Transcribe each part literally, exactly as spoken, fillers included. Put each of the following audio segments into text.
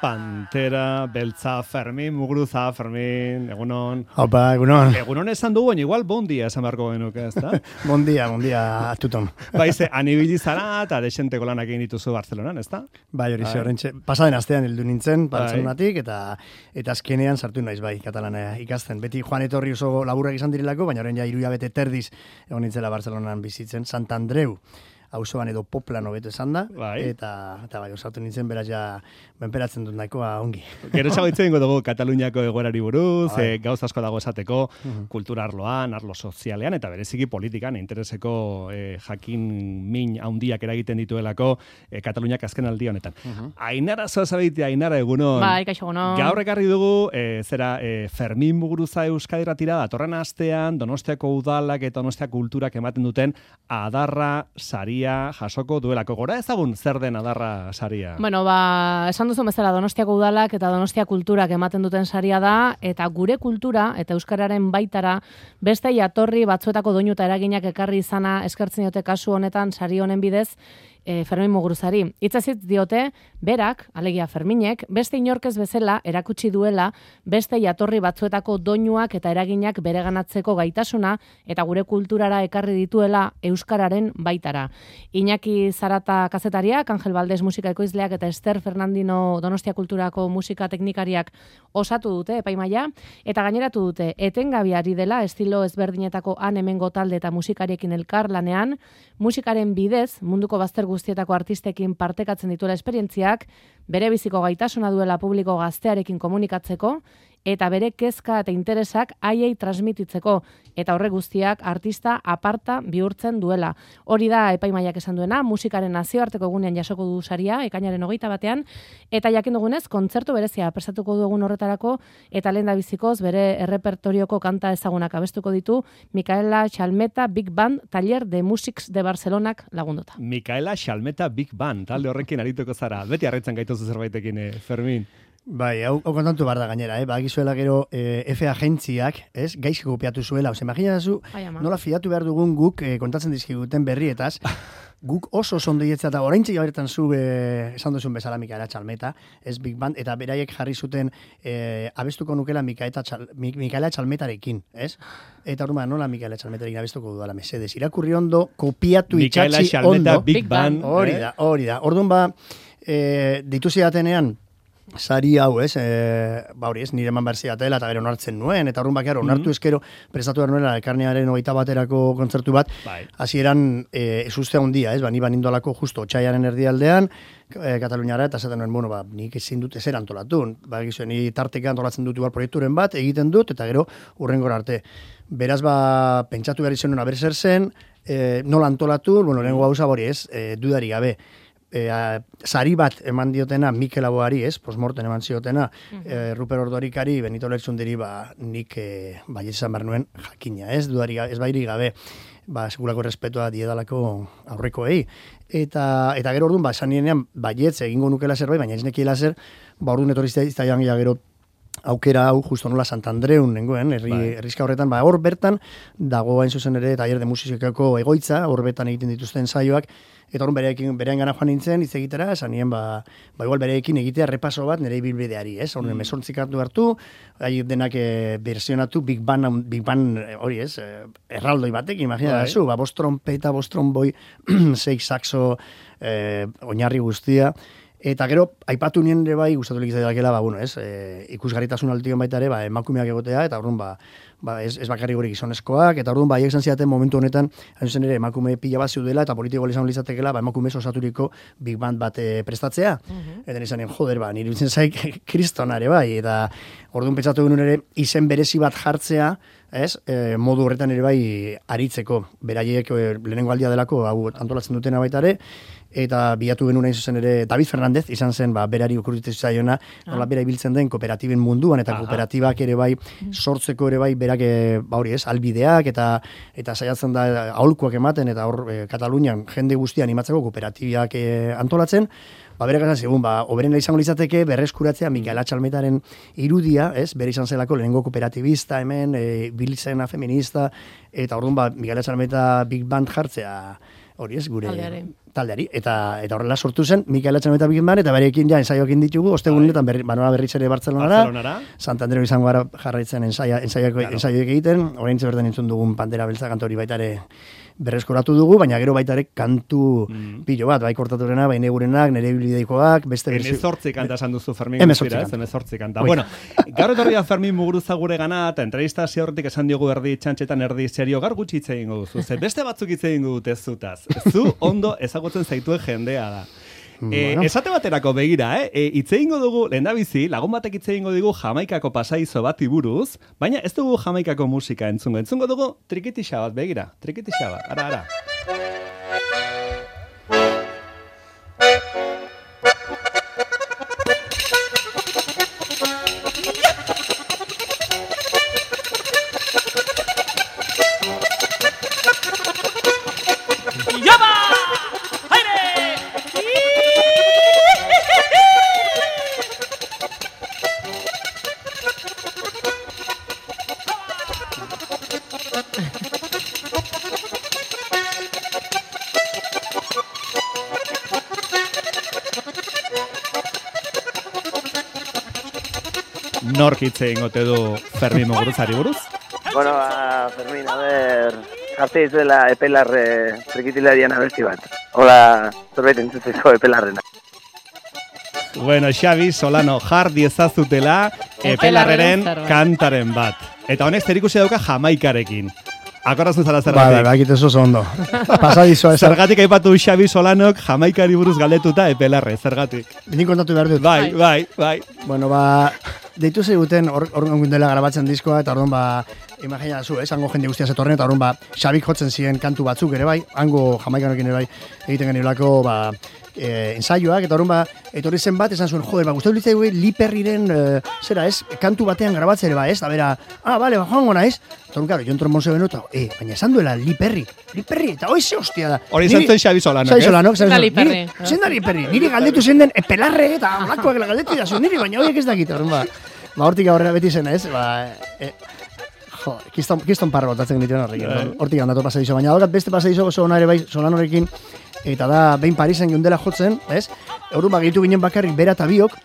Pantera, Beltza, Fermin, Muguruza, Fermin, egunon. Opa, egunon. Egunon esan dugu, baina igual bon dia esan beharko genuke, ez da? Bon dia, bon dia, atuton. Baize, anibili zara eta desenteko lanak egin dituzu Barcelonan, ez da? Bai, hori ze, horrentxe, pasaden astean hildu nintzen, Barcelonatik, eta eta azkenean sartu naiz, bai, katalana ikasten. Beti Juan etorri oso laburrak izan direlako, baina orain ja hiru hilabete terdiz egon nintzela Barcelonan bizitzen, Sant Andreu. Auzoan edo Poplano beto esan da, bai. eta, eta bai, osatu nintzen beraz ja benperatzen dut nahikoa ongi. Gero txagoitzen dugu Kataluniako egoerari buruz, bai. e, gauz asko dago esateko, Mhm. kultura arloan, arlo sozialean, eta bereziki politikan, intereseko e, jakin min handiak eragiten dituelako e, Kataluniak azken aldi honetan. Mhm. Ainara zoazabeitea, Ainara egunon. Bai, kaixo egunon. Gaur ekarri dugu, e, zera, e, Fermin Muguruza Euskadiratira, datorren astean, Donostiako udalak eta Donostia kulturak ematen duten adarra saria jasoko duelako. Gora ezagun zer den adarra saria? Bueno, ba, esan duzu bezala Donostiako udalak eta Donostia kulturak ematen duten saria da, eta gure kultura eta euskararen baitara beste jatorri batzuetako doinu eta eraginak ekarri izana eskertzen diote kasu honetan sari honen bidez, E, Fermin Muguruzari. Hitzazit diote, berak, alegia Ferminek, beste inorkez bezala erakutsi duela beste jatorri batzuetako doinuak eta eraginak bereganatzeko gaitasuna eta gure kulturara ekarri dituela euskararen baitara. Iñaki Zarata kazetariak, Angel Valdez musika ekoizleak eta Ester Fernandino Donostia kulturako musika teknikariak osatu dute epaimaia, eta gaineratu dute etengabiari dela estilo ezberdinetako han hemengo talde eta musikariekin elkar lanean, musikaren bidez munduko bazter guztietako artistekin partekatzen dituela esperientziak, bere biziko gaitasuna duela publiko gaztearekin komunikatzeko, eta bere kezka eta interesak haiei transmititzeko, eta horre guztiak artista aparta bihurtzen duela. Hori da epaimaiak esan duena, musikaren nazioarteko egunean jasoko du saria, ekainaren hogeita batean, eta jakin dugunez, kontzertu berezia prestatuko du egun horretarako, eta lehen da bizikoz bere errepertorioko kanta ezagunak abestuko ditu, Micaela Xalmeta Big Band Taller de Musics de Barcelonak lagunduta. Micaela Xalmeta Big Band, talde horrekin arituko zara. Beti harritzen gaituzu zerbaitekin, eh, Fermin. Bai, hau, hau kontatu behar da gainera, eh? Bagizuela gero eh, F agentziak, ez, gaizki kopiatu zuela. Ose, imaginazu, nola fiatu behar dugun guk eh, kontatzen dizkiguten berrietaz, guk oso sondeietza eta oraintxe jaberetan zu eh, esan duzun bezala Micaela Xalmeta, ez Big Band, eta beraiek jarri zuten eh, abestuko nukela Micaela, Txal, Micaela Xalmetarekin, ez? Eta horma, nola Micaela Xalmetarekin abestuko dudala mesedes. Irakurri ondo, kopiatu Micaela itxatxi Xalmeta ondo. Big Band. Hori eh? da, hori da. Orduan ba, eh, ditu zidatenean, sari hau, ez, e, ba hori ez, nire eman behar zidatela eta gero onartzen nuen, eta horren bakiaro, onartu ezkero, prestatu behar nuela, elkarnearen hogeita baterako kontzertu bat, hasieran e, ez uste handia, ez, ba, ni banindolako justo otxaiaren erdialdean, e, Kataluniara, eta zaten nuen, bueno, ba, nik ezin dut ezer antolatu, ba, egizuen, ni tarteka antolatzen dut igual proiekturen bat, egiten dut, eta gero urrengora arte. Beraz, ba, pentsatu behar izan nuen, aber zer zen, e, nola antolatu, bueno, lehenko gauza hori ez, e, dudari gabe, E, a, sari bat eman diotena Mikel Aboari, ez, postmorten eman ziotena, uh-huh. e, Ruper Ordorikari, Benito Lertzundiri, ba, nik e, baiet izan behar nuen jakina, ez, dudari, ez bairi gabe, ba, segulako respetua diedalako aurrekoei. Eta, eta gero orduan, ba, esan nienean, baietz egingo nukela zerbait, baina ez nekiela zer, ba, orduan etorri zitaian gero aukera hau justo nola Sant Andreun nengoen, herri, bai. Herrizka horretan, ba, hor bertan, dago hain zuzen ere, taller de musikako egoitza, hor bertan egiten dituzten saioak, eta hor bereekin, berean gana joan nintzen, hitz egitera, esan nien, ba, ba igual bereekin egitea repaso bat nire ibilbideari, ez? Hor, mm. mesortzik hartu hartu, gai denak e, versionatu, Big Band, Big Band, hori ez, erraldoi batek, imagina da zu, ba, bost trompeta, bost tromboi, sei saxo, e, oinarri guztia, eta gero, aipatu nien ere bai, gustatu lik izaitakela, ba, bueno, ez, e, ikusgarritasun altion baita ere, ba, emakumeak egotea, eta orduan, ba, ba, ez, ez bakarri gure gizonezkoak, eta orduan, ba, haiek ziaten momentu honetan, hain zen ere, emakume pila bat zeudela, eta politiko izan litzatekela, ba, emakume osaturiko Big Band bat e, prestatzea. Uh-huh. Eta nizan, joder, ba, nire bitzen zaik kristonare, bai, eta orduan pentsatu genuen ere, izen berezi bat jartzea, ez, e, modu horretan ere bai aritzeko, beraiek e, lehenengo aldia delako, hau antolatzen dutena baita ere, eta bilatu genuen zuzen ere David Fernandez, izan zen, ba, berari okurritu zaiona, ah. nola bera ibiltzen den kooperatiben munduan, eta ah, kooperatibak ere bai, sortzeko ere bai, berak, ba hori ez, albideak, eta eta saiatzen da aholkuak ematen, eta hor, e, Katalunian jende guztia animatzeko kooperatibiak e, antolatzen, ba, bere gana segun, ba, oberena izango litzateke, berreskuratzea Micaela Xalmetaren irudia, ez, bere izan zelako lehenengo kooperatibista hemen, e, bilizena feminista, eta orduan, ba, Micaela Xalmeta Big Band jartzea, hori ez, gure taldeari. taldeari. Eta, eta horrela sortu zen, Mikel Etxanoeta bikin ban, eta berekin ja ensaioekin ditugu, ostegunetan berri, banoa berriz ere Bartzelonara, Barcelonara. Santandreo izango gara jarraitzen ensaia, ensaiako, claro. ensaioek egiten, orain bertan entzun dugun Pantera Beltza kantori baita ere berreskoratu dugu, baina gero baita ere kantu mm. pilo bat, bai kortaturena, bai negurenak, nere biblideikoak, beste berzi... Emezortzi kanta esan duzu Fermin Emezortzi guztira, kanta. Emezortzi kanta. Bueno, gaur etorria Fermin Muguruza gure gana, eta entrevista hasi horretik esan diogu erdi txantxetan erdi serio, gar gutxi hitz egingo duzu. Ze beste batzuk hitz egingo dute zutaz. Zu ondo ezagutzen zaituen jendea da. E, bueno. Esate baterako begira, eh? E, itze ingo dugu, lehendabizi, lagun batek itze ingo dugu Jamaikako pasaizo bati buruz, baina ez dugu Jamaikako musika entzungo. Entzungo dugu trikitixa bat, begira, trikitixa bat, ara, ara. Nork hitz egingote du Fermin Muguruzari buruz? Bueno, ba, Fermin, a ver, jarte dizuela epelarre trikitilarian abesti bat. Hola, zerbait entzuteko epelarrena. Bueno, Xabi Solano, jar diezazutela epelarreren kantaren bat. Eta honek zerikusia dauka Jamaikarekin. Akordazu zara zergatik. Ba, ba, bakit oso ondo. Pasadizoa ez. Zergatik aipatu Xabi Solanok Jamaikari buruz galdetuta epelarre, zergatik. Nik kontatu behar dut. Bai, bai, bai. Bueno, ba, deitu zeiguten hor dela grabatzen diskoa, eta orduan ba, imagina zu, ez, hango jende guztia zetorren, eta orduan ba, Xabik jotzen ziren kantu batzuk ere bai, hango Jamaikanokin ere bai, egiten geniolako, ba, e, ensaioak, eta orduan ba, etorri zen bat, esan zuen, joder, ba, guztatu litzai gu, Liperriren, e, zera, ez, kantu batean grabatzen ere ba, ez, da bera, ah, bale, ba, joango naiz, eta orduan, karo, Jon Trombon zebenu, eta, e, baina esan duela Liperri, Liperri, eta hoi ze hostia da. Hori izan zen Xabi Solanok, Xabi Solanok, Zenda Liperri. Zen da Liperri, niri galdetu zen den epelarre, eta olakoak galdetu da niri, baina horiek ez dakit, orduan ba. Ba, hortik aurrera beti zen, ez? Ba, e, jo, kiston, kiston parra botatzen dituen horrekin. Hortik handatu pasadizo, baina daukat beste pasadizo oso ona ere bai Solanorekin, eta da, behin Parisen geundela jotzen, ez? Horun ba, gehitu ginen bakarrik bera eta biok,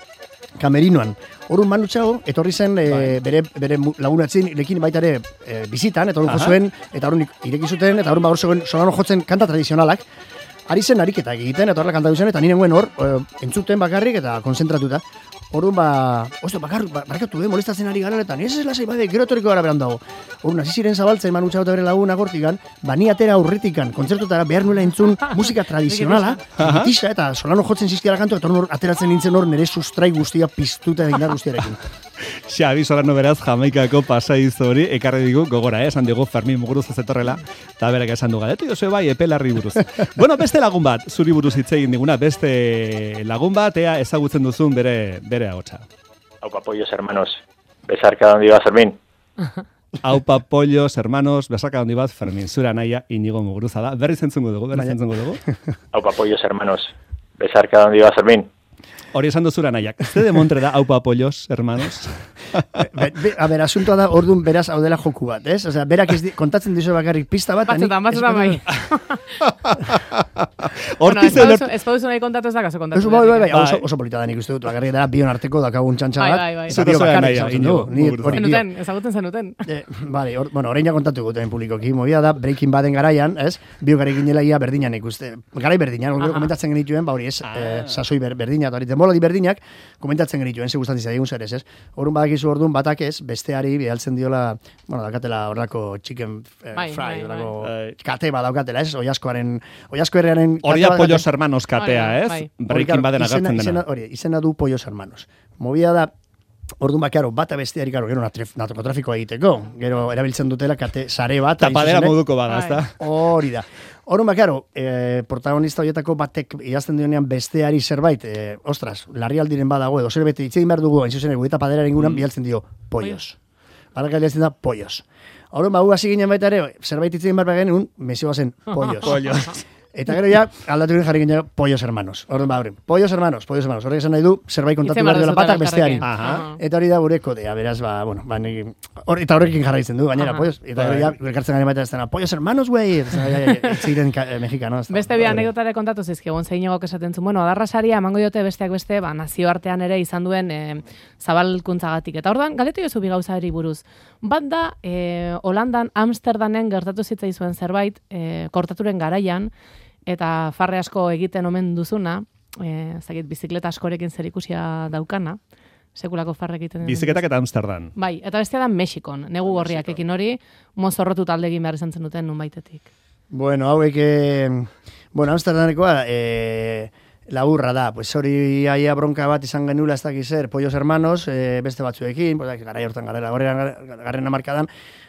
kamerinoan. Horun Manu Txago, etorri zen e, bere, bere lagunatzen, lekin baita ere e, bizitan, eta horun jo zuen, eta horun ireki zuten, eta horun ba, hor zegoen Solano jotzen kanta tradizionalak, ari zen ariketak egiten, eta horrela kantatu zen, eta nire nuen hor, e, entzuten bakarrik, eta konzentratuta. Orduan ba, osto, bakar, barkatu, eh, molestatzen ari garanetan, ez ez lasai, bai, gero etorriko gara beran dago. Orduan, hasi ziren zabaltzen, Manu Txago eta bere laguna gortikan, bani atera aurretikan, kontzertutara behar nuela entzun musika tradizionala, tisa, eta Solano jotzen zizkiara kantu, eta hor ateratzen nintzen hor nire sustrai guztia piztuta egindar guztiarekin. Xabi Solano beraz Jamaikako pasaizo hori ekarri digu gogora, eh? Esan digu Fermin Muguruza zetorrela, eta berak esan du galetu, jozue bai, epelarri buruz. Bueno, beste lagun bat, zuri buruz hitz egin diguna, beste lagun bat, ea ezagutzen duzun bere, bere agotxa. Aupa pollos, hermanos. Besarka dondi bat, Fermin. Aupa pollos, hermanos, besarka dondi bat, Fermin. Zura naia, Inigo Muguruza da. Berri zentzungo dugu, berri zentzungo dugu. Aupa pollos, hermanos. Besarka dondi bat, Fermin. Hori esan duzura nahiak. Ze de montre da, aupa pollos, hermanos? Be, be, a ber, asuntoa da, orduan beraz hau dela joku bat, ez? Osea, berak ez di, kontatzen dizu bakarrik pista bat. Batzutan, batzutan bai. Hortiz bueno, ez pauzu nahi kontatu ez da, kaso kontatu. Bai, bai, bai, oso, oso polita da nik uste dut, bakarrik dara bion arteko dakagun txantxa bat. Bai, bai, bai. Zuta zoa nahi, zenuten, ezagutzen zenuten. Eh, vale, or, bueno, orain ja kontatu guten publikoki, movida da, Breaking Baden garaian, ez? Biogarekin ginela ia berdinan ikuste. Garai berdinan, uh -huh. komentatzen genituen, ba hori ez, ah. eh, sasoi ber, berdina, eta hori, demoladi berdinak, komentatzen genituen, ze gustatzen zaigun zer ez, ez? Orduan badakizu orduan batak ez, besteari bialtzen diola, bueno, dakatela horrako chicken eh, bai, fry, bai, horrako bai. kate bat daukatela, ez? Oiaskoaren, oiasko herriaren... Hori da Pollos Hermanos katea, ez? Bai. Breaking Baden agertzen dena. Hori, izena du Pollos Hermanos. Movida da, orduan bakaro, bata besteari, karo, gero narkotrafikoa egiteko, gero erabiltzen dutela kate sare bat. Tapadera moduko bada, ez da? Hori da. Orduan bakaro, eh, protagonista horietako batek idazten dionean besteari zerbait, eh, ostras, larrialdiren badago edo zerbait itzein behar dugu, hain zuzen egu eta padera inguran mm. bialtzen dio, pollos. Balak aldeatzen da, pollos. Orduan, bagu hasi ginen baita ere, zerbait itzein behar bagen, un mesio bazen, pollos. Pollos. Eta gero ja, aldatu ginen jarri ginen pollos hermanos. Orduan, ba, hori, pollos hermanos, pollos hermanos. Horrek esan nahi du, zerbait kontatu behar dela batak besteari. Eta hori da gure kodea, beraz, ba, bueno, ba, negi, or, eta horrekin jarraitzen du, gainera, pollos. Eta gero ja, elkartzen garen baita ez dena, pollos hermanos, güey! Ziren mexikano. Beste bi anekdotare kontatu zizkigun, zein egok esaten zuen. Bueno, adarra saria emango diote besteak beste, ba, nazioartean ere izan duen e, zabalkuntzagatik. Eta orduan, galetu jozu bi gauzari buruz. Bat da, e, Holandan, Amsterdamen gertatu zitzaizuen zerbait, e, kortaturen garaian, eta farre asko egiten omen duzuna, eh, zakit, bizikleta askorekin zerikusia daukana, sekulako farre egiten. Bizikletak eta Amsterdam. Bai, eta bestea da Mexikon, negu gorriak ekin hori, mozorrotu talde egin behar izan zen duten nunbaitetik. Bueno, hauek, eh, bueno, Amsterdamekoa, eh, laburra da, pues hori aia bronka bat izan genula ez dakiz zer, pollos hermanos, eh, beste batzuekin, pues, garai hortan garela, garren amarkadan,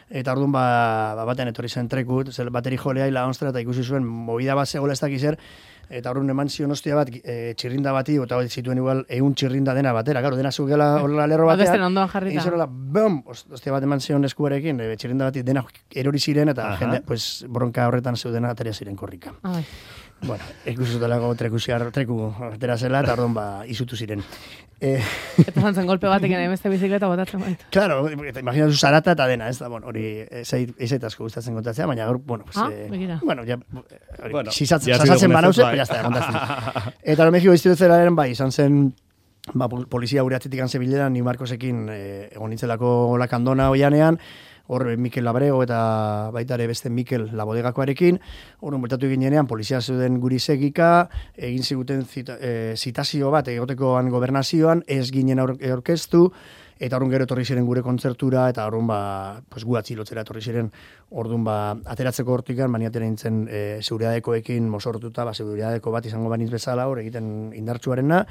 eta orduan ba, ba batean etorri zen trekut, zel bateri jolea ila onstra eta ikusi zuen movida bat zegoela ez dakiz zer, eta orduan eman zion ostia bat e, txirrinda bati, eta zituen igual egun txirrinda dena batera, gero dena zugela horrela lerro batean. Besten ondoan jarrita. Izorola, bom, ostia bat eman zion eskuarekin, e, txirrinda bati dena erori ziren, eta jende, pues, bronka horretan zeudena ateria ziren korrika. Ai. Bueno, ikusutelako trekusiar, treku atera zela, eta orduan ba, izutu ziren. Eh, eta zantzen golpe batekin hainbeste bizikleta botatzen baitu. Claro, imagina zu zarata eta dena, ez da, bueno, hori ezait asko gustatzen kontatzea, baina gaur, bueno, pues, ah, eh, bueno, ja, hori, bueno, sisatzen banauze, pero ya está, kontatzen. Eta lo Mexiko instituzioaren bai, izan zen, ba, polizia gure atzitik anzebileran, Ni Marcosekin eh, egon nintzelako lakandona oianean, hor Mikel Labrego eta baita ere beste Mikel Labodegakoarekin, hor bertatu ginenean polizia zeuden guri segika, egin ziguten zita, e, zitazio bat egotekoan gobernazioan, ez ginen aurkeztu, eta horren gero etorri ziren gure kontzertura, eta horren ba, pues, gu atzilotzera etorri ziren, orduan ba, ateratzeko hortikan, bani atera nintzen e, seguridadeko-ekin mosortuta, ba, seguridadeko bat izango baniz bezala, hor egiten indartsuarena,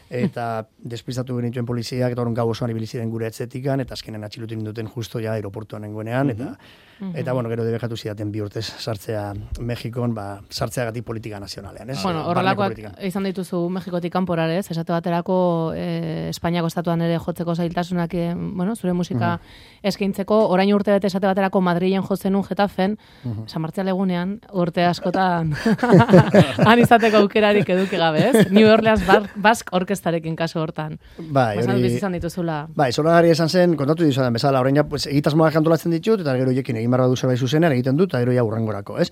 eta despistatu genituen poliziak, eta horren gau osoan ibili ziren gure etzetikan, eta azkenen atxilutin duten justo ja aeroportuan nengoenean, eta, uh -huh. eta bueno, gero debekatu zidaten bi urtez sartzea Mexikon, ba, sartzeagatik politika nazionalean, ez? Bueno, horrelakoak izan dituzu Mexikotik kanporarez, esate baterako eh, Espainiako estatuan ere jotzeko zailtasunak, eh, bueno, zure musika uh -huh. eskaintzeko, orain urte bete esate baterako Madrilen jotzen un Getafen, uh -huh. San Martzial egunean, urte askotan han izateko aukerarik eduki gabe, ez? New Orleans Basque orkestarekin kaso hortan. Bai, hori... bizizan dituzula. Bai, zoragarri esan zen, kontatu dizudan bezala, orain ja, pues, egitasmoak kantolatzen ditut, eta gero jekin egin barra du zerbait zuzenean egiten dut, eta gero ja urrengorako, ez?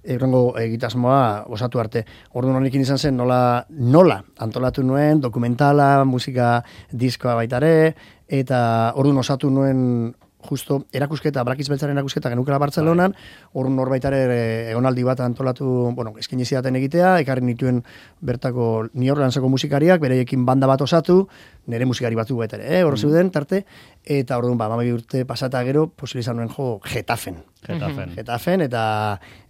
Urrengo egitasmoa osatu arte. Orduan honekin izan zen, nola, nola antolatu nuen, dokumentala, musika diskoa baitare, eta orduan osatu nuen justo erakusketa, Brakiz Beltzaren erakusketa genukela Bartzelonan, orduan norbaitare egonaldi bat antolatu, bueno, eskin izidaten egitea, ekarri nituen bertako New Orleanseko musikariak, bereiekin banda bat osatu, nire musikari batzu bat ere, eh, hor zeuden, tarte, eta orduan, ba, mamabi urte pasata gero, posibilizan nuen jo Getafen. Getafen. Getafen, eta,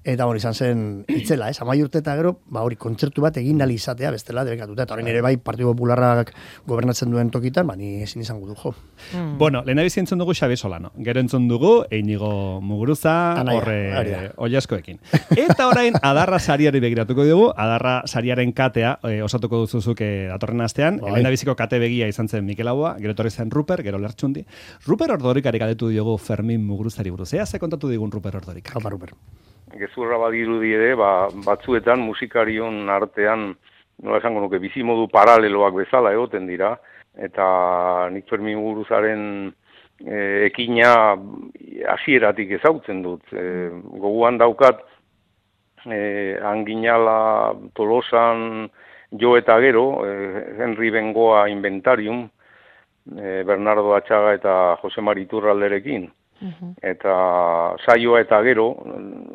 eta hori izan zen itzela, ez, amai urte eta gero, ba, hori kontzertu bat egin nali izatea, bestela, debekatuta, eta hori nire bai, Partido Popularrak gobernatzen duen tokitan, ba, ni ezin izango du, jo. Mm. Bueno, lehen abizi entzun dugu Xabi Solano, gero entzun dugu Einigo Muguruza, horre oiaskoekin. Eta orain, Adarra sariari begiratuko dugu, Adarra sariaren katea, e, osatuko duzuzuk e, datorren astean, bai. Lehen abiziko kate begia izan zen Mikel Aua, gero etorri zen Ruper, gero Lertxundi. Ruper Ordorikari galdetu diogu Fermin Muguruzari buruz. Ea ze kontatu digun Ruper Ordorikak? Haupa, Ruper. Gezurra badirudi ere, ba, batzuetan musikarion artean, nola esango nuke, bizimodu paraleloak bezala egoten dira, eta nik Fermin Muguruzaren e, ekina hasieratik ezautzen dut. E, goguan daukat, e, Anginala, Tolosan, Jo eta gero, eh, Henry Bengoa Inventarium, eh, Bernardo Atxaga eta Jose Mari Iturralderekin. Uh-huh. Eta saioa eta gero,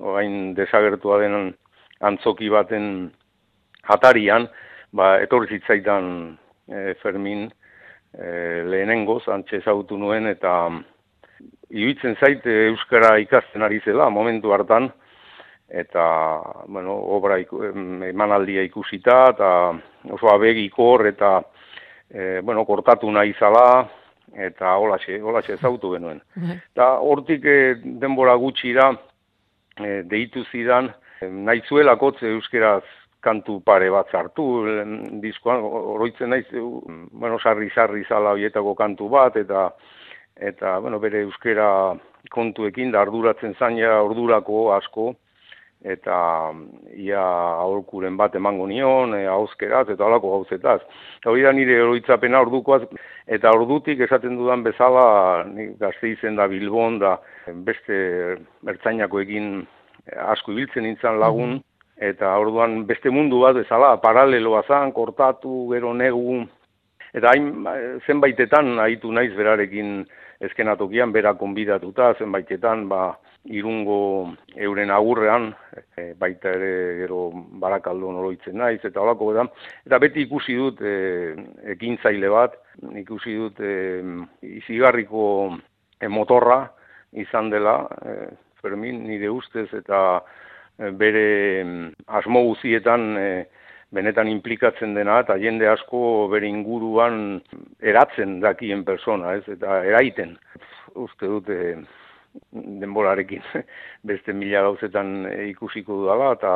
orain desagertua den antzoki baten atarian, ba, etorri zitzaidan eh, Fermin eh, lehenengoz, antxe ezautu nuen, eta iruditzen zait euskara ikasten ari zela, momentu hartan, eta, bueno, obra iku, emanaldia ikusita, eta oso abegikor, eta, e, bueno, kortatu nahi zala, eta holaxe, holaxe ezautu genuen. Eta hortik e, denbora gutxira, e, deitu zidan, e, nahi zuelakotz euskeraz kantu pare bat zartu, diskoan, oroitzen naiz, bueno, sarri-sarri zala horietako kantu bat, eta, eta, bueno, bere euskera kontuekin, da arduratzen zaina ordurako asko, eta ia aholkuren bat emango nion, e, hauzkeraz eta halako gauzetaz. Hori da nire oroitzapena ordukoaz, eta ordutik esaten dudan bezala, nik Gasteizen da Bilbon da beste ertzainakoekin asko ibiltzen nintzen lagun, eta orduan beste mundu bat bezala, paraleloa zan, kortatu, gero negu, eta hain zenbaitetan ahitu naiz berarekin eskenatokian, bera konbidatuta, zenbaitetan, ba, Irungo euren agurrean, e, baita ere gero Barakaldon oroitzen naiz, eta holako da. Eta beti ikusi dut e, ekintzaile bat, ikusi dut e, izigarriko e, motorra izan dela, e, Fermin nire ustez, eta e, bere asmo guzietan e, benetan implikatzen dena, eta jende asko bere inguruan eratzen dakien persona, ez, eta eraiten. Uste dut e, denborarekin beste mila gauzetan ikusiko dudala, eta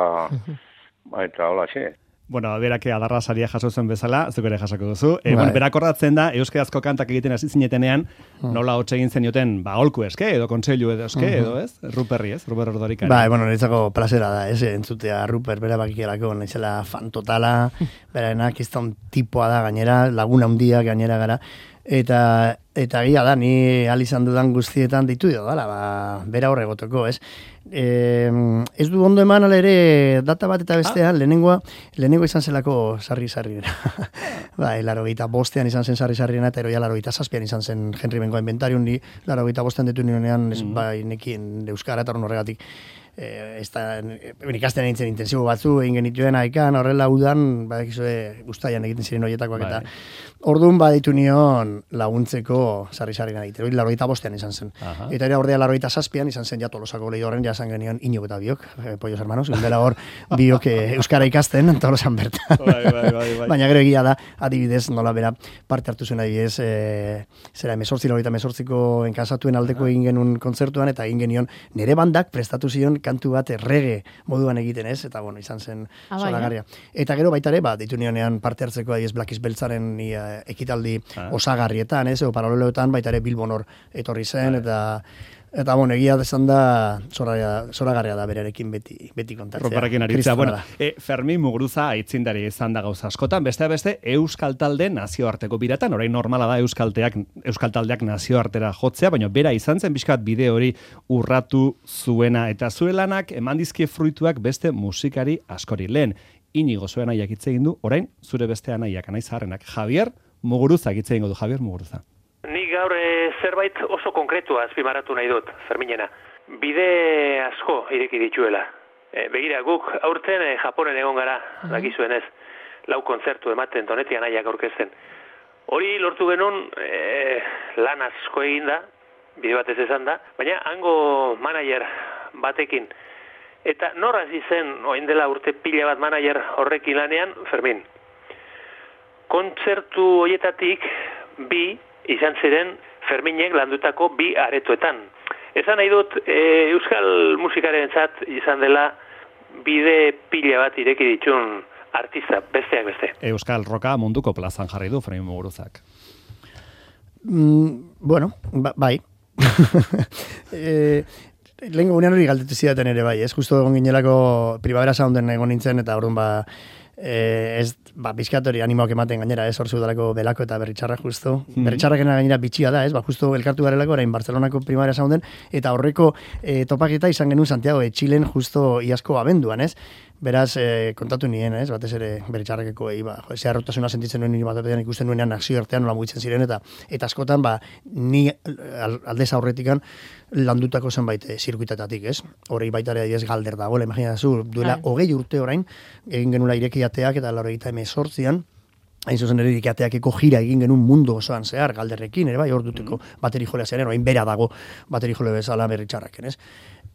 eta hola xe. Bueno, berak adarra saria jaso zen bezala, zuk ere jasako duzu. E, bueno, berak ordatzen da, euskarazko kantak egiten hasi zinetenean, nola hotz egin zenioten, ba, holku eske, edo kontseilu edo eske, edo ez? Ruperri, ez? Ruper Ordorikari. Ba, bueno, niretzako plazera da, ez, entzutea Ruper bera bakikelako, naizela fan totala, beraenak izan tipoa da gainera, laguna handia gainera gara, eta eta gira da, ni ahal izan dudan guztietan ditu dio dala, ba, bera horre gotoko, ez? E, ez du ondo eman ere data bat eta bestean, ah. lehenengoa, lehenengo izan zelako sarri-sarriena. Ba, laro gita bostean izan zen sarri-sarriena, eta eroia laro gita zazpian izan zen Henry Bengoa inventariun, ni laro gita bostean detu nionean, mm. ba, nekin euskara eta horregatik. Eh, ez da, ikasten nintzen intensibo batzu, egin genituen haikan, horrela udan, badakizue guztaian egiten ziren horietakoak, eta orduan baditu nion laguntzeko sarri-sarri egiten, hori laroita bostean izan zen. Aha. Eta ere ordea laroita zazpian izan zen ja Tolosako lehi horren, ja esan genion Iñigo eta biok, eh, pollos hermanos, gundela hor biok eh, euskara ikasten, Tolosan bertan. Bai, bai, bai, bai. Baina gero egia da, adibidez, nola bera parte hartu zuen adibidez, eh, zera emezortzi, laroita emezortziko enkasatuen aldeko egin genuen kontzertuan, eta egin genion nire bandak prestatu zion kantu bat errege moduan egiten, ez? Eta bueno, izan zen ah, zoragarria. Eta gero baita ere, ba, ditu nionean parte hartzeko adiez Black is Beltzaren uh, ekitaldi ah. osagarrietan, ez? O paraleloetan baita ere Bilbon hor etorri zen, ah. eta eta bueno, egia desan da zoragarria da berarekin beti beti kontatzea. Ruperrekin aritzea. Bueno, e, Fermin Muguruza aitzindari izan da gauza askotan, beste beste Euskal Talde nazioarteko biratan, orain normala da Euskalteak Euskal Taldeak nazioartera jotzea, baina bera izan zen bizkat bide hori urratu zuena, eta zure lanak eman dizkie fruituak beste musikari askori. Lehen Inigo zuen aiak hitz egin du, orain zure beste anaiak anai zaharrenak Javier Muguruza hitz egingo du. Javier Muguruza. Ni gaur e, zerbait oso konkretua azpimarratu nahi dut, Ferminena. Bide asko ireki dituela. E, begira, guk aurten e, Japonen egon gara, mm-hmm. dakizuen ez, lau kontzertu ematen Donetian aiak aurkezten. Hori lortu genuen e, lan asko egin da, bide batez esan da, baina hango manager batekin. Eta nor hasi zen, oin dela urte pila bat manager horrekin lanean, Fermin. Kontzertu horietatik bi izan ziren Ferminek landutako bi aretoetan. Esan nahi dut, e, euskal musikarentzat izan dela bide pila bat ireki ditun artista, besteak beste. Euskal roka munduko plazan jarri du Fermin Muguruzak. Mm, bueno, ba, bai. e, Lehen gunean hori galdetu zidaten ere bai, ez? Justo egon ginelako Primavera Sounden egon nintzen, eta orduan ba, Eh, ez, ba, bizkatori animoak ematen gainera, ez, hor zudalako Belako eta Berritxarra justo. Mm-hmm. Berritxarrakena gainera bitxia da, ez, ba, justo elkartu garelako, orain Barcelonako Primavera Sounden, eta horreko eh, topaketa izan genuen Santiago de Txilen justo iazko abenduan, ez. Beraz, eh, kontatu nien, ez, batez ere Berritxarrakeko egi, ba, jo, zeharrotasuna sentitzen nuen nire batean ikusten nuenean nazio artean nola mugitzen ziren, eta eta askotan, ba, ni aldez aurretikan landutako zenbait e, zirkuitetatik, ez? Horrei baita ere adiez galder dagoela, imaginazu, duela hogei urte orain, egin genula irekiateak eta laurogeita hemezortzian, hain zuzen ere irekiateakeko jira egin genuen mundu osoan zehar, galderrekin, ere bai, hor duteko mm. bateri jolea zearen, orain bera dago bateri jole bezala Berritxarraken, ez?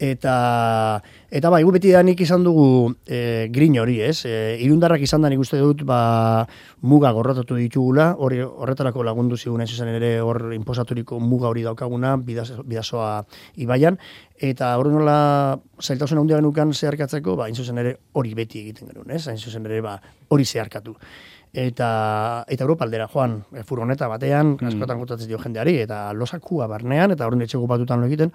Eta, eta bai, gu beti da nik izan dugu e, grin hori, ez? E, irundarrak izan da nik uste dut, ba, muga gorratatu ditugula, hori horretarako lagundu zigun, ez zuzen ere hor inposaturiko muga hori daukaguna, bidasoa ibaian, eta hori nola zailtasun handia genukan zeharkatzeko, ba, hain zuzen ere hori beti egiten genuen, ez? Hain zuzen ere, ba, hori zeharkatu. Eta eta Europaldera joan, furgoneta batean, mm. askotan kontatzen dio jendeari, eta losakua barnean, eta hori etxe gupatutan lo egiten,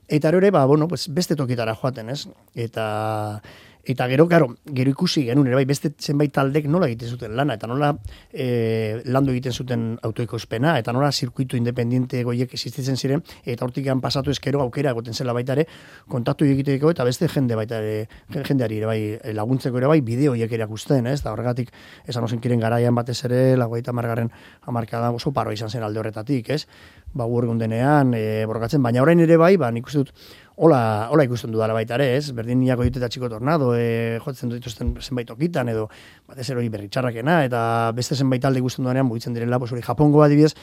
Eta ere, ba, bueno, pues beste tokitara joaten, ez? Eta... Eta gero, gero, gero ikusi genuen, ere bai, beste zenbait taldek nola egiten zuten lana, eta nola e, landu egiten zuten autoekoizpena, eta nola zirkuitu independiente goiek existitzen ziren, eta hortikan pasatu ezkero aukera egoten zela baita ere, kontaktu egiteko, eta beste jende baita ere, jendeari ere bai, laguntzeko ere bai, bideoiek erakusten, ez? Da horregatik, esan ozen kiren garaian batez ere, lagoita margarren amarkada oso paro izan zen alde horretatik, ez? Ba, guergundenean, e, borrokatzen, baina orain ere bai, ba, nik uste dut, Hola, hola ikusten dudala baita ere, ez? Berdin niako ditu eta txiko tornado, e, jotzen dituzten zenbait okitan, edo batez ere hori berritxarrakena, eta beste zenbait alde ikusten dudanean mugitzen direla, pues hori Japongo adibidez,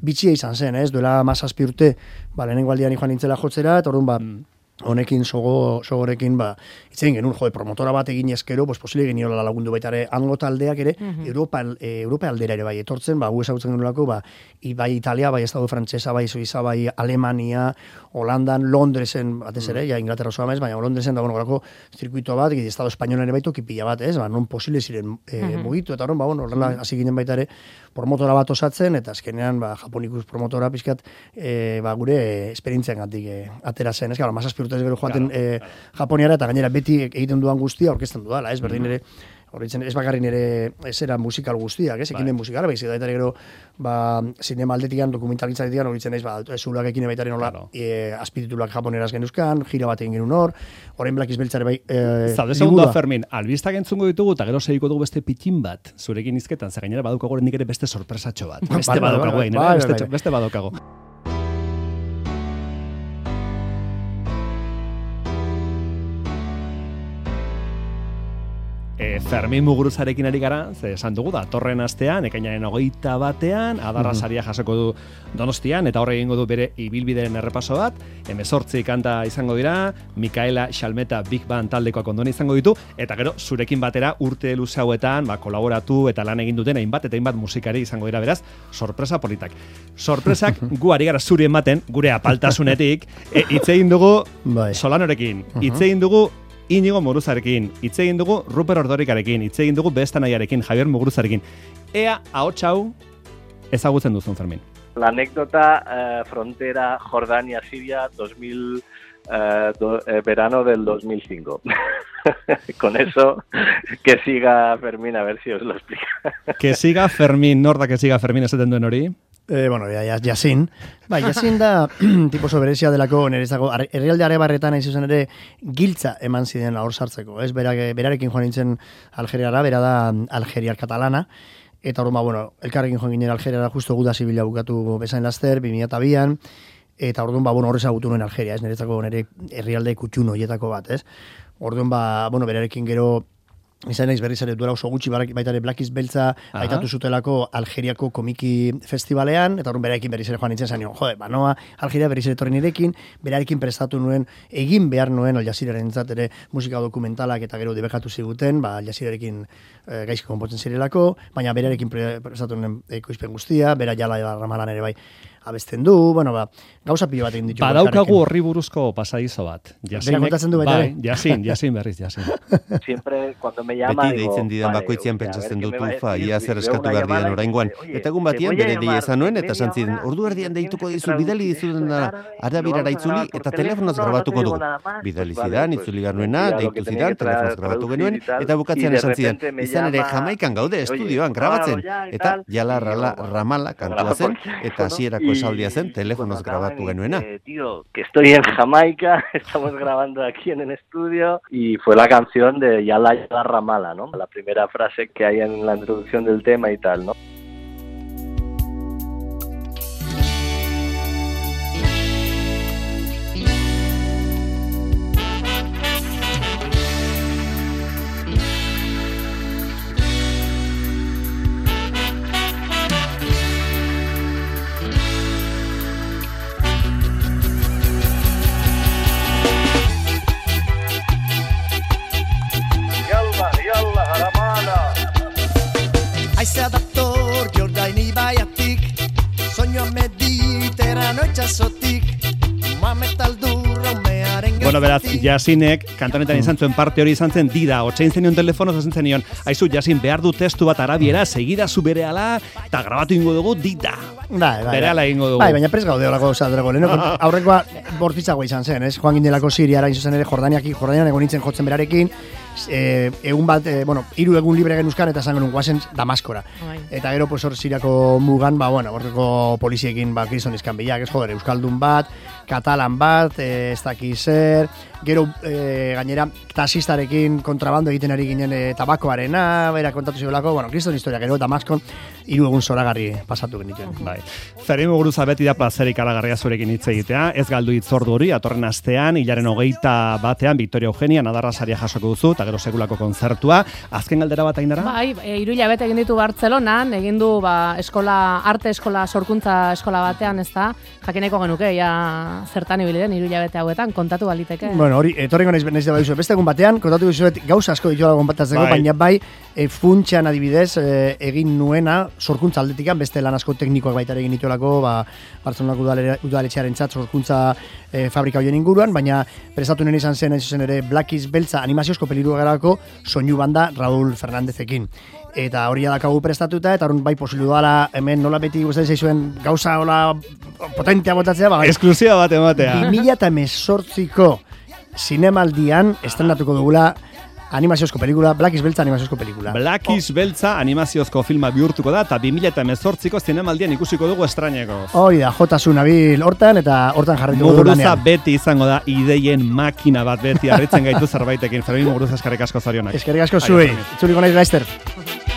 bitxia izan zen, ez? Duela mazazpi urte, ba, lehenengo aldian joan nintzela jotzera, eta orduan, ba, honekin, sogo, sogorekin, ba, itzen genuen, jode, promotora bat egin eskero, pues, posile geniola lagundu baita ere, hango taldeak ere, uh-huh. Europa, e, Europa aldera ere bai etortzen, ba, gu ezagutzen genuelako, ba, bai Italia, bai Estado Frantsesa, bai Suiza, bai Alemania, Holandan, Londresen, batez ere, uh-huh. ja Inglaterra osoa maiz, baina Londresen da, bueno, gorako zirkuito bat, egin Estado Espainolan ere baitu kipila bat, ez, ba, non posile ziren e, uh-huh. mugitu, eta horren, ba, bueno, horrela, hasi ginen baita ere, promotora bat osatzen, eta azkenean, ba, Japonikus promotora pizkat, e, ba, gure esperientzian gatik e, atera zen, ez, gara, mazazpi urtez gero joaten claro, e, claro. Japoniara, eta gainera beti egiten duan guztia orkesten dudala, ez, berdin ere, horretzen, ez bakarrin ere esera musikal guztiak, ez, ekimen musikala, baizik, eta gero, ba, zinema aldetikan, dokumentalitzaletikan, horretzen ez, ba, zulak ekine baitaren hola, claro. e, azpititulak japoneraz genuzkan, gira bat egin genuen hor, horrein Black Izbeltzare bai, e, Zaude segundo, Fermin, albistak entzungo ditugu, eta gero segiko dugu beste pitin bat, zurekin izketan, ze gainera badukago nik ere beste sorpresatxo bat, beste badukago egin, beste, beste badukago. E, Fermin Muguruzarekin ari gara, ze esan dugu da, torren astean, ekainaren hogeita batean, Adarra saria jasoko du Donostian, eta horre egingo du bere ibilbideren errepaso bat, hemezortzi kanta izango dira, Mikaela Xalmeta Big Band taldeko kondona izango ditu, eta gero zurekin batera urte luze hauetan, ba, kolaboratu eta lan egin duten hainbat eta hainbat musikari izango dira, beraz, sorpresa politak. Sorpresak gu ari gara zuri ematen, gure apaltasunetik, e, hitz egin dugu bai. Solanorekin, hitz egin dugu Inigo Muguruzarekin, hitz egin dugu Ruper Ordorikarekin, hitz egin dugu Bestanaiarekin, Javier Muguruzarekin. Ea, ahots hau ezagutzen duzun, Fermin. La anécdota eh, frontera Jordania-Siria dos mil, eh, do, eh, verano del dos mil cinco. Con eso, que siga Fermín, a ver si os lo explica. Que siga Fermín, nor da que siga Fermín esaten duen hori? Eh, bueno, ya, ya, Yasin. Ba, Yasin da tipo soberezia delako nerezako, herrialde arebarretan hain zuzen ere giltza eman ziren hor sartzeko, ez? Berak, berarekin joan nintzen Algeriara, bera da Algeriar katalana, eta hor, ba, bueno, elkarrekin joan ginen Algeriara justo guda zibila bukatu bezain laster, bi mila bian, eta orduan, ba, bueno, horrez agutu nuen Algeria, ez? Nerezako nire herrialde kutxun horietako bat, ez? Orduan, ba, bueno, berarekin gero izan naiz berriz ere duela oso gutxi baita ere Black Izbeltza aitatu zutelako Algeriako komiki festivalean, eta horren berarekin berriz ere joan nintzen zain, jode, banoa, Algeria berriz ere torri nirekin, berarekin prestatu nuen, egin behar nuen Al Jazeeraren ere musika dokumentalak eta gero debekatu ziguten, ba, Al Jazeerarekin e, gaizki konpotzen zirelako, baina berarekin prestatu nuen ekoizpen guztia, bera jala ramalan ere bai abesten du, bueno, ba, gauza pilo bat egin ditu. Badaukagu horri buruzko pasadizo bat. Bera kontatzen du baita. Bai, Yasin, Yasin berriz, Yasin. Siempre, cuando me llama, beti deitzen didan bakoitzean pentsatzen dut ufa, ia zer eskatu behar dian oraingoan. Eta egun batian bere dei ezan nuen, eta esan ziren, ordu erdian deituko dizu, bidali dizuten arabirara itzuli, eta telefonoz grabatuko dugu. Bidali zidan, itzuli garnuena, deitu zidan, telefonoz grabatu genuen, eta bukatzean esan zidan, izan ere Jamaikan gaude, estudioan, grabatzen, eta jala ramala kantua zen, eta hasierako esaldia zen, telefonoz grabatu genuena. Eh, tío, que estoy en Jamaica, estamos grabando aquí en el estudio, y fue la canción de Yala Yala Ramala, ¿no? La primera frase que hay en la introducción del tema y tal, ¿no? Aizea dator Jordain ibaiatik, soinua mediterrano itxasotik, Mohamed Aldurra umearen Bueno, beraz, Jasinek, kantonetan izan zuen parte hori izan zen, dida, otxein zenion telefonoz ezen zenion, aizu, Jasin, behar du testu bat arabiera, segida zu bere ala, eta grabatu ingo dugu, dida. Bai, bai, bere ala ingo dugu. Bai, baina prez gaude horako zadrago. Lehen, aurrekoa bortitzagoa izan zen, ez? Joan gindelako Siriara, izuzen ere, Jordaniaki, Jordanian egon nintzen jotzen berarekin, e, egun bat, e, bueno, hiru egun libre genuzkan eta esan genuen guazen Damaskora. Bai. Eta gero, pues, hor Siriako mugan, ba, bueno, horreko poliziekin, ba, kriston izkan bilak, ez joder, Euskaldun bat, Katalan bat, e, ez daki zer, gero e, gainera taxistarekin kontrabando egiten ari ginen e, tabakoarena, bera kontatu zibelako, bueno, kriston historia, gero Damaskon hiru egun zoragarri pasatu genituen. Bai. Fermin Muguruza beti da plazerik alagarria zurekin hitz egitea, ez galdu hitzordu hori, atorren astean, hilaren hogeita batean, Victoria Eugenia Nadarra saria jasoko duzu, eta gero sekulako kontzertua. Azken galdera bat Ainara? Bai, e, hiru hilabete egin ditu Bartzelonan, egin du ba, eskola, arte eskola, sorkuntza eskola batean, ez da, jakineko genuke, ja zertan ibili den hiru hilabete hauetan, kontatu baliteke. Bueno, hori, etorrengo naiz naiz da baizu, beste egun batean, kontatu dizuet gauza asko dituela konpatatzeko, bai. Baina bai, e, funtxean adibidez, e, egin nuena, sorkuntza aldetikan, beste lan asko teknikoak baita egin dituelako, ba, Bartzelonako udaletxearen txat, sorkuntza e, fabrika hoien inguruan, baina prestatu nien izan zen, zuzen ere, Blackies Beltza animaziozko pelirua garako soinu banda Raúl Fernandezekin. Eta hori adakagu prestatuta, eta horren bai posilu dala, hemen nola beti gustatzen zaizuen gauza hola potentea botatzea, ba, esklusiba bat ematea. bi mila hemezortziko zinemaldian estrenatuko dugula animaziozko pelikula, Blackies Beltza animaziozko pelikula. Blackies Beltza animaziozko filma bihurtuko da, eta bi mila hemezortziko zinemaldian ikusiko dugu estraineko. Hori da, jotasun abil hortan, eta hortan jarrituko dugu lanean. Muguruza beti izango da, ideien makina bat beti, arritzen gaitu zerbaitekin. Fermin Muguruza eskerrik asko zorionak. Eskerrik asko zuei, itzuliko naiz laizter.